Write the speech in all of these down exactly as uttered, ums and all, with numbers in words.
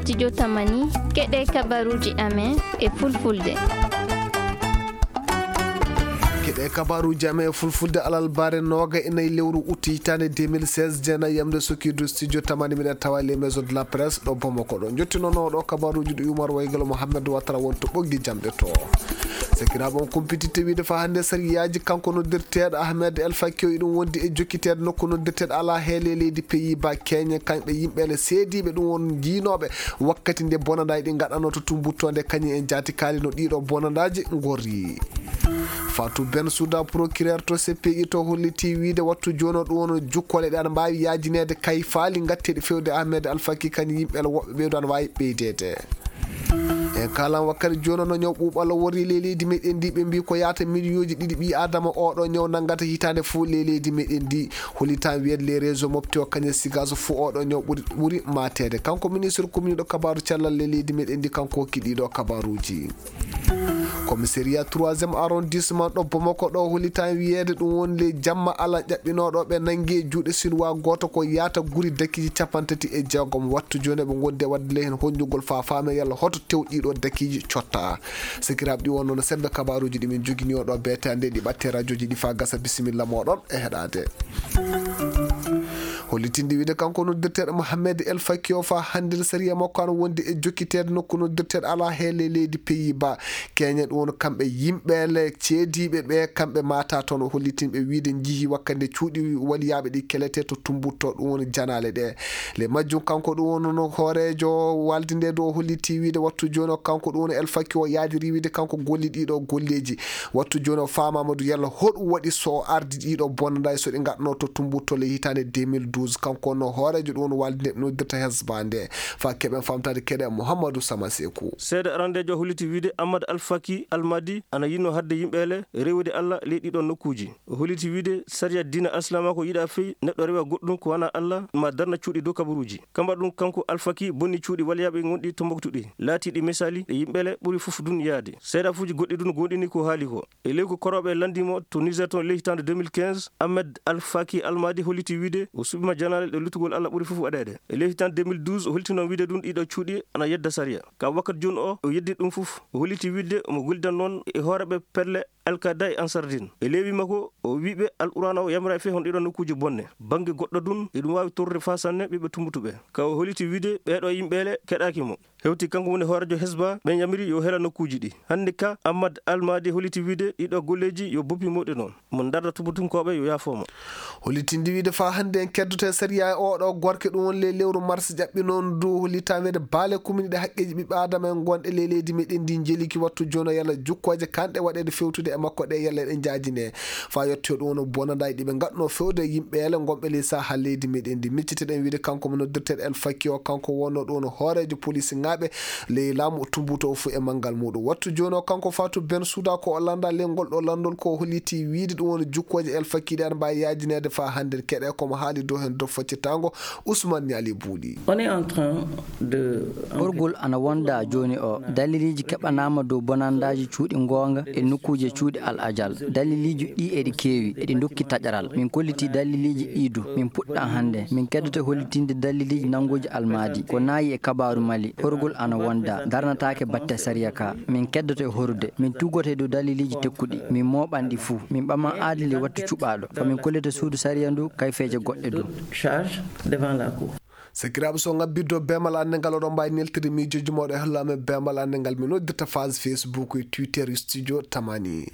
Studio Tamani, keɗe kabaruji amen e fulfulde. Keɗe kabaruji amen e fulfulde alarba nooga e nayi lewru utti hitaande deux mille seize, jeenayi yamde sukiidu studio Tamani, miɗen tawa les maisons de la presse ɗo Bamako ɗo. Jottinono ɗo kabaruji ɗi Umar Waygalo Mohamed Watara won to ɓoggi jamɗe to. Sakiraaɓe, on kumpititte wiide fa hannde sariyaaji kanko noddirteeɗo Ahmed El Fakio iɗum wondi e jokkiteede nokku noddirteeɗo ala heele leydi Pays-Bas, keñe kañɓe yimɓe le seediiɓe ɗum won jiinooɓe wakkati nde bonandaaji ɗi ngaɗanoo to Tumbuttu nde kañum en jaatikaali no ɗiɗo bonandaaji ngorri. Fatou Bensouda, procureur to C P I to, holliti wiide wattu jooni o ɗum won jukkole ɗe ana mbaawi yaajineede kay faali ngatteeɗi fewde Ahmed Alfaki kañum yimɓe le woɓɓe ɓeydo ana waawi ɓeydeede. En kalan wakkati jooni no ñaw ɓuuɓal worri ley leydi meɗen ndi, ɓe mbi ko yaata miliyonji ɗiɗi ɓi adama oɗo ñaw nangata hitaande fof ley leydi meɗen ndi. Holi tan wiyede les réseaux mofti o kañum sigaso fof oɗo ñaw ɓuri ɓuri mateede. Kanko ministre communiɗo kabaru cellal ley leydi meɗen ndi, kanko hokki ɗiɗo kabaruji. Commissariat troisième arrondissement ɗo Bamako ɗo holi tan wiyede ɗum woni le jamma ala ƴaɓɓinoɗo ɓe nangi e juuɗe sinwa goto ko yaata guri dakiji capantati e jeegom. Wattu jooni ɓe gondi e wadde le hen honjugol fa faame yalla hoto tew ɗiɗo dakiji cotta. Sakiraaɓe, ɗi wonno no sembe kabaruji ɗi min jogini oɗo beete ande ɗi ɓatte radioji ɗi fa gasa. Bisimilla moɗon e heɗade. Hollitinde wiide kanko noddirteeɗo Mohamed El Fakio fa hannde sariya makko an wonde e jokkiteede nokku noddirteeɗo ala heele leydi Pays-Bas. Keñe ɗum woni kamɓe yimɓe le ceediiɓe ɓe kamɓe mata toon. O hollitin ɓe wiide njihi wakkande cuuɗi waliyaaɓe ɗi kelete to Tumbutto ɗum woni janaale ɗe. Le majjum kanko ɗum woni no hooreejo walde nde ɗo o holliti wiide wattu jooni o kanko ɗum woni El Fakio yaajiri wiide kanko golli ɗiɗo golleeji. Wattu jooni o faamaama du yalla hoɗum waɗi so o ardi ɗiɗo bonandaay so ɗi ngaɗno to Tumbutto le hitaande deux mille douze. Kanko no hooreejo ɗum woni walde nde noddirta Hesba nde. Fa keɓen famtaade keɗe Mouhamadou Sama Sekou. Seede arandeejo holliti wiide Ahmad Alfaki Almadi ana yinno hadde yimɓe le rewude Allah ley ɗiɗo nokkuuji. O holliti wiide sariya diina Alislaama ko yiɗa fey neɗɗo rewa goɗɗum ko wanaa Allah ma darna cuuɗi dow kabaruuji. Kamba ɗum kanko Alfaki bonni cuuɗi waliyaaɓe gonɗi Tombuktu ɗi. Laatiiɗi misali ɗe yimɓe le ɓuri fof dun yaade. Seedafuuji goɗɗi dun gonɗini ko haali ko. E ley ko korooɓe landimo to Niger toon ley hitaande deux mille quinze, Ahmed Alfaki Almadi holliti wiide o suɓima janaale ɗe lutugol Allah ɓuri fof waɗeede. E ley hitaande deux mille douze o holliti noon wiide ɗum ɗiɗo cuuɗi ana yedda sariya. Ka wakkati jooni o, o yeddi ɗum fof. O holliti wiide omo gollidan noon e hooreɓe pelle Al-Qaeda e Ansar Din. E ley wi makko, o wi ɓe Al-Qur'aana o yamira fii hon ɗiɗo nokkuuji bonne. Bannge goɗɗo ɗum, eɗum waawi torrude faa sanne ɓiɓɓe Tumbuttu ɓe. Ka o holliti wiide ɓeeɗo yimɓe le keɗaaki mo. Hewti kanko woni hooreejo Hesba, ɓen yamiri yo hela nokkuuji ɗi. Hannde ka, Ahmad Almadi holliti wiide ɗiɗo golleeji yo boppi mawɗe noon. Mo darda Tumbutunkooɓe yo yaafoo mo. Hollitinde wiide faa hannde en keddoto e sariya e oɗo gorko ɗum woni le lewru mars ƴaɓɓi noon du hollita wiide baale kumini ɗe haqqeeji ɓiɓɓe Aadama en gonɗe ley leydi meɗen ndi njeliki wattu jooni o yalla jukkooje kanɗe waɗeede fewtude e makko ɗe yalla eɗen njaajine. Faa yettoyo ɗum woni bonandaay ɗi ɓe ngaɗno fewde e yimɓe ele gonɓe ley saha leydi meɗen ndi. Micciteɗen wiide kanko mo noddirteɗo El Fakki o, kanko wonno ɗum woni hooreejo polisinŋaaɓe ley laamu Tumbutu o fuu e manngal muɗum. Wattu jooni o kanko Fatou Bensouda ko o lannda ley ngol ɗo lanndol ko o holliti wiide ɗum woni jukkooje El Fakki ɗe ana mbaawi yaajineede faa hannde keɗe ko mo haali dow heen dow faccitango Ousmane Niali Buuli. On est en train de Horgol ana wonda jooni o. Daliliiji keɓanaama dow bonandaaji cuuɗi goonga e nokkuuje cuuɗi Al Ajal. Daliliiji ɗi eɗi keewi, eɗi ndokki taƴaral. Min kolliti daliliiji ɗi du. Min puɗɗa hannde. Min keddoto hollitinde daliliiji nannguuji Almadi. Ko naayi e kabaaru Mali. Horgol ana wonda. Darnataake batte sariya ka. Min keddoto e horude. Min tugoto e dow daliliiji tekkuɗi. Min mooɓan ɗi fuu. Min ɓaman aadili wattu cuɓaaɗo. Ko min kollita suudu sariya ndu, kayfeeje goɗɗe du. Charge devant la cour. Sakiraaɓe, so ngabbiddo beemal annde ngal, oɗon mbaawi neltirde miijooji mooɗon e holla amen beemal annde ngal. Min noddirta page Facebook e Twitter Studio Tamani.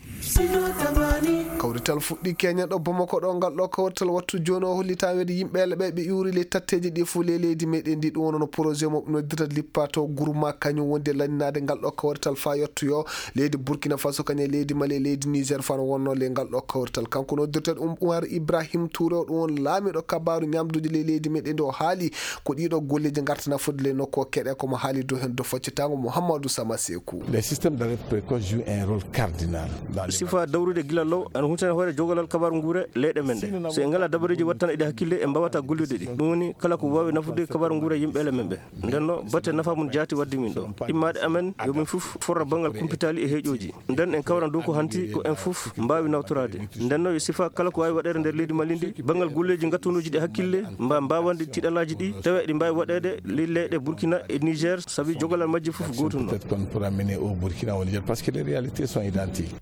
Kawrital fuɗɗi keñen ɗo Bamako ɗo, ngal ɗo kawrital wattu jooni o hollita weede yimɓe ele ɓe ɓe iwri ley tatteeji ɗi fof ley leydi meɗen ndi. Ɗum wonno projet mo ɓe noddirta Lippato Gourma, kañum wondi e lanninaade ngal ɗo kawrital faa yettoyo leydi Burkina Faso, kañum e leydi Mali e leydi Niger faa no wonno ley ngal ɗo kawrital. Kanko noddirteeɗo um Umar Ibrahim Touré o, ɗum woni laamiiɗo kabaaru ñamduuji ley leydi meɗen ndi, o haali ko ɗiɗo golleeji ngarta nafude ley nokku o keɗe ko mo haali dow heen dow faccitango Mouhamadou Sama Sekou. Les systèmes d'alerte précoce jouent un rôle cardinal dans les Sifa dawrude gila law ana Ene hoore jogalal kabaaru nguure leyɗe men ɗe. So en ngalaa dabareeji waɗtan eɗi hakkille, en mbaawata gollude ɗi. Ɗum woni kala ko waawi nafude kabaaru nguure yimɓe ele men ɓe. Nden no, batte nafa mum jaati waddi min ɗo. Immaade amen, yo min fof forra banngal kumpitaali e heeƴooji. Nden en kawran dow ko hanti ko en fof mbaawi nawtoraade. Nden no, yo sifa kala ko waawi waɗeede nder leydi Mali ndi, banngal golleeji ngattunuuji ɗi hakkille, mba mbaawanɗi tiɗalaaji ɗi, tawa eɗi mbaawi waɗeede ley leyɗe Burkina e Niger, sabi jogalal majji fof gootum non. Peut-être qu'on pourra mener au Burkina, au Niger, parce que les réalités sont identiques.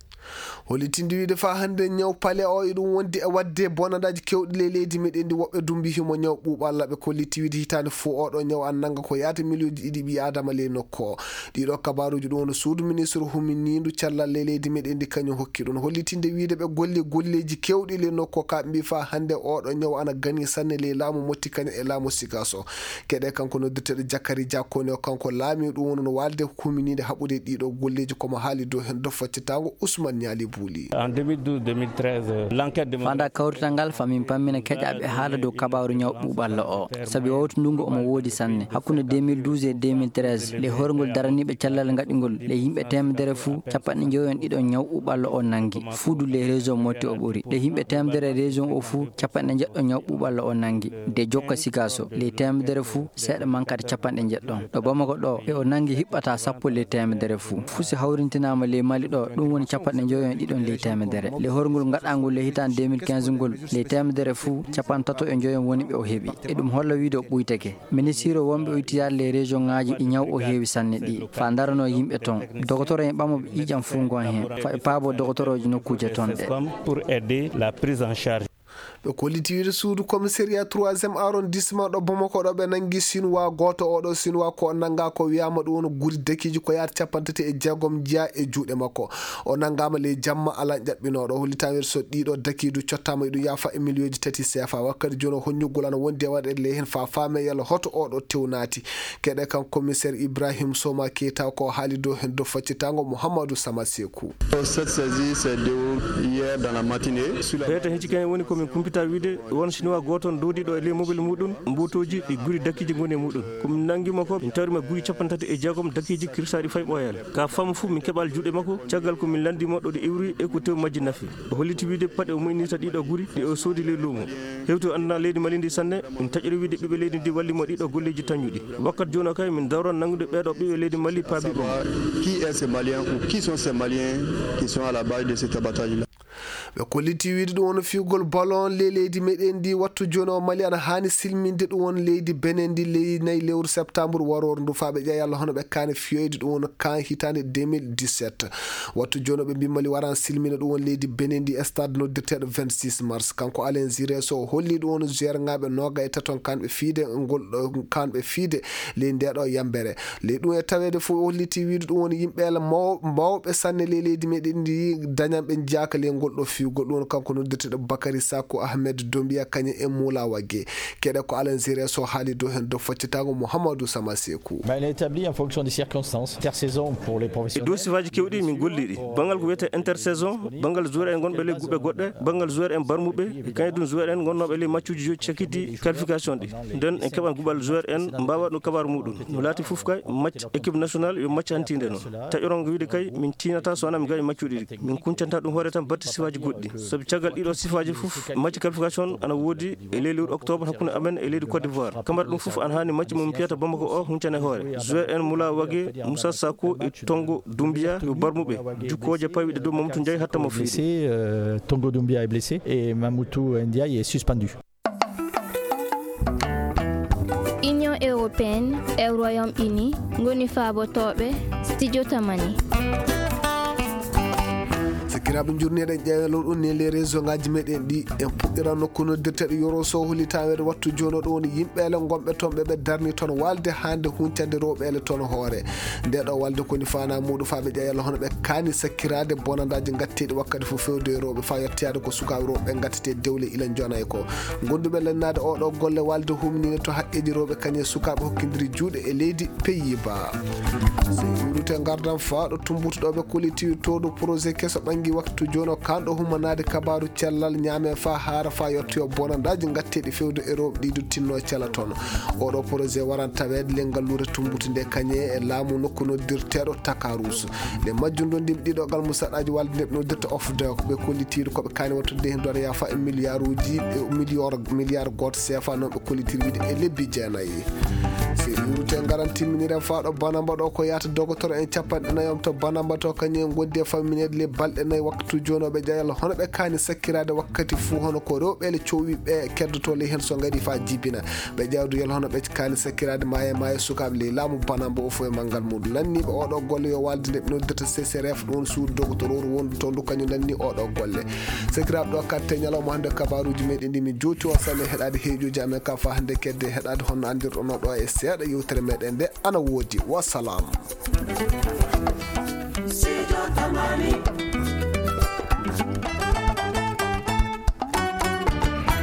Hollitinde wiide faa hannde ñaw pale o e ɗum wondi e waɗde bonandaaji kewɗi ley leydi meɗen ndi, woɓɓe dumbi himo ñaw ɓuuɓalla ɓe kolliti wiide hitaande fof oɗo ñaw an nanga ko yaata miliyonji ɗiɗi ɓi adama ley nokku o. Ɗiɗo kabaruji ɗum woni suudu ministre huminindu cellal ley leydi meɗen ndi kañum hokki ɗum hollitinde wiide ɓe golli golleji kewɗi ley nokku o, ka ɓe mbi faa hannde oɗo ñaw ana gani sanne ley laamu motti kañum e laamu sikas o. Keɗe kanko noddirteɗo Jakari Jakoni o, kanko laami ɗum woni no walde humininde haɓude ɗiɗo golleji, komo haali dow hen do faccitango Ousmane Niali Bouli. En deux mille douze deux mille treize, euh, l'enquête de... Fanda kawrital ngal famin pammina keƴaɓe haala dow kabaru ñaw ɓuɓalla o. Sabi o wawtu ndungu omo woodi sanne. Hakkunde deux mille douze e deux mille treize, le horgol daraniɓe cellal ngaɗigol, le yimɓe temedere fuu, capanɗe njoyon ɗiɗo ñaw ɓuɓalla o nangi. Fuudu le région motti o ɓuri. Le yimɓe temedere région o fuu, capanɗe njeɗɗo ñaw ɓuɓalla o nangi. De jokka sikaso, le temedere fuu, seeɗa mankade capanɗe njeɗɗon. Ɗo Bamako ɗo, e o nangi hiɓɓata sappo ley teemedere fuu. Fuu si hawrintinaama ley Mali ɗo, ɗum woni capanɗe njoyon e ɗiɗon ley teemedere. Ley horngol ngaɗaangol ley hitaande deux mille quinze ngol, ley teemedere fuu, capanɗe tato e njoyon woni ɓe o heɓi. E ɗum holla wiide o ɓuytake. Ministiire wonɓe o itti yaade ley région ŋaaji ɗi ñaw o heewi sanne ɗi, faa ndaranoo yimɓe ton. Dogotoro en ɓamoɓe ƴiiƴam fuu ngon heen, faa ɓe paaboo dogotorooji nokkuuje ton ɗe. Pour aider la prise en charge. Ɓe kolliti wiide suudu commissariat troisième arrondissement ɗo Bamako ɗo ɓe nangi Sinuwa gooto. Oɗo Sinuwa ko o nanga ko wiyama ɗum woni guri dakiiji ko yaata capanɗe tati e jeegom jeya e juuɗe makko. O nangama ley jamma ala ƴaɓɓinooɗo. Hollitama wiide so ɗiɗo dakiidu cottama e ɗum yaafa e miliyonji tati seefa. Wakkati jooni o honñugol ana wondi e waɗeede ley heen faa faame yalla hoto oɗo tew naati. Keɗe kan commissaire Ibrahim Soma Keita ko haali dow heen dow faccitango Mouhamadou Sama Sekou. Cette saisie s'est déroulée hier dans la matinée. Ɓeeta hecci kañum woni ko min kumpita wiide won Chinois gooto on doodiiɗo e ley mobile muɗum, mbuutooji ɗi guri dakiiji ngoni e muɗum. Ko min nanngii mo ko, min tawri mo guri capanɗe tati e jeegom dakiiji kirsaaɗi fay ɓooyaali. Ka faamu fuu min keɓaali juuɗe makko, caggal ko min lanndii mo ɗo ɗi iwri e ko tew majji nafi. O holliti wiide paɗe o moynirta ɗiɗo guri ɗi o soodi ley luumo. Hewti o anndanaa leydi Mali ndi sanne, min taƴiri wiide ɓiɓɓe leydi ndi walli mo ɗiɗo golleeji tañuɗi. Wakkati jooni o kay min dawran nanngude ɓeeɗo ɓiɓɓe leydi Mali paabi ɓe. Qui est ce Malien ou qui sont ces Maliens qui sont à la base de cet abattage-là? Ɓe kolliti wiide ɗum woni fiyugol ballon ley leydi meɗen ndi wattu jooni o Mali ana haani silminde ɗum woni leydi Benin ndi ley nayi lewru septembre waroru ndu faa ɓe ƴeewa yalla hono ɓe kaani fiyoyde ɗum woni kan hitaande deux mille dix-sept. Wattu jooni o ɓe mbi Mali waran silmina ɗum woni leydi Benin ndi e stade noddirteeɗo vingt-six mars. Kanko Alain Giresse o holli ɗum woni joueur ŋaaɓe nooga e taton kanɓe fiide ngol ɗo kanɓe fiide ley nde ɗo yambere. Ley ɗum e taweede fof o holliti wiide ɗum woni yimɓe ala maw-, mawɓe sanne ley leydi meɗen ndi dañanɓe njaaka ley ngol ɗo fiwgol. Ɗum woni kanko noddirteeɗo Bakary Sakho, Ahmed Dombia, kañum e Moula Wagué. Keɗe ko Alain Giresse o haali dow heen dow faccitango Mouhamadou Sama Sekou. Ben, il est établi en fonction des circonstances. Intersaison pour les professionnels. E dow sifaaji kewɗi min golli ɗi. Banngal ko wiyetee intersaison, banngal joueur en gonɓe ley guɓe goɗɗe, banngal joueur en barmuɓe, e kañum ɗum joueur en gonnooɓe ley maccuuji joyi cakkitii qualification ɗi. Nden en keɓan guɓal joueur en mbaawa ɗum kabaru muɗum. No laati fof kay, match équipe nationale yo match hantiinde noon. Taƴoron ko wiide kay, min tiinata so wonaa min ngaɗi maccuuji ɗi. Min kuncanta ɗum hoore tan batte sifaaji goɗɗi. Sabi caggal ɗiɗo sifaaji fof, match qualification ana woodi e ley lewru octobre hakkunde amen e leydi Côte d'Ivoire. Kamara ɗum fof ana haani match mo min piyata Bamako o huncane hoore. Joueur en Moula Wagué, Moussa Sako e Tongo Doumbia yo barmuɓe. Jukkooje pawiɗe dow Mamadou Ndiaye hatta mo fiiri. Blessé, euh, Tongo Doumbia est blessé et Mamoudou Ndiaye est suspendu. Union européenne e Royaume-Uni ngoni faabotooɓe studio Tamani. Sakiraaɓe, njurneɗen ƴeewelo ɗum ne les région ngaji meɗen ɗi. En puɗɗiran nokku noddirteɗo Yoro Sow, holli taweede wattu jooni o ɗo woni yimɓe ele gonɓe toon ɓe ɓe darni toon walde hande huncande rewɓe ele toon hoore. Nde ɗo walde koni fana muɗum faa ɓe ƴeewa yalla hono ɓe kaani sakkiraade bonandaaji ngatteeɗi wakkati fof fewde e rewɓe faa yettoyaade ko sukaaɓe rewɓe ɓe ngattete dewle ila njona e ko. Gonduɓe lennaade oɗo golle walde humnine to haqqeeji rewɓe kañum e sukaaɓe hokkindiri juuɗe e leydi Pays-Bas. So en iwrite ngardan faa ɗo tumbutuɗo ɓe kolliti towɗo projet keso ɓangi Waktu jooni o kanɗo humanaade kabaaru cellal ñaame faa haara faa yottoyo bonandaaji ngatteeɗi fewde e rewɓe ɗi duttinno cela toon. Oɗo projet waran taweede le ngalluure Tumbutu nde kañe e laamu nokku noddirteeɗo Takarus. Le majjum ɗo ndimɗiɗo gal musaɗaaji walde nde ɓe noddirta OFDEC ɓe kollitiiɗo ko ɓe kaani wattude heen doon yaafa e miliyaaruuji, e miliyoor, miliyaar gooto seefa noon ɓe kollitiiɗo wiide e lebbi jeenayi. Si ɗuurute ngaran timminire faa ɗo Banamba ɗo ko yaata dogotoro en capanɗe nayi om to Banamba to kañum en ngondi e fammineede le balɗe nayi waktu jooni o ɓe ƴeewa yalla hono ɓe kaani sakkiraade wakkati fuu hono ko rewɓe le cowwi ɓe keddotoo le heen so ngari faa jibina. Ɓe ƴeewa du yalla hono ɓe kaani sakkiraade maaye maaye sukaaɓe le laamu Banamba o fof e manngal muɗum. Lanniiɓe oɗo golle yo walde nde ɓe noddirta C C R F ɗum woni suudu dogotoro wondu toon du kañum lanni oɗo golle. Sakiraaɓe ɗo katte ñalawma hannde kabaaruuji meɗen ɗi min jooti o sane heɗaade heeƴuuji amen ka faa hannde kedde heɗaade honno anndirɗon ɗo e seeɗa yewtere meɗen nde ana woodi. Wassalam. Sijo Tamani.